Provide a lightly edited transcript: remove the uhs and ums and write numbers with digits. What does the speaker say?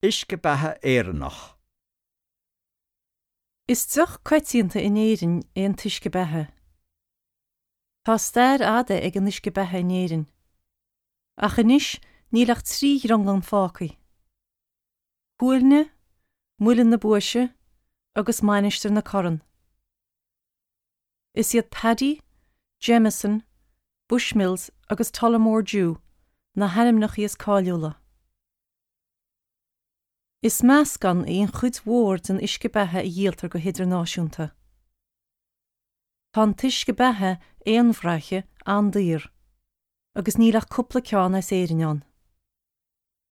Uisce beatha Éireannach. Is deoch coitianta in Éirinn é an t-uisce beatha. Tá stair fhada ag an uisce beatha in Éirinn. Ach anois níl ach 3 dhrionglann fágtha. Cuailgne, Muileann na Buaise agus Mainistir na Corann. Is iad Paddy, Jameson, Bushmills agus Tullamore Dew na hainmneacha is cáiliúla. Is meascán í an chuid mhór den uisce beatha a dhíoltar go hidirnáisiúnta. Tá an t-uisce beatha aonbhraiche an-daor, agus níl ach cúpla ceann as Éirinn ann.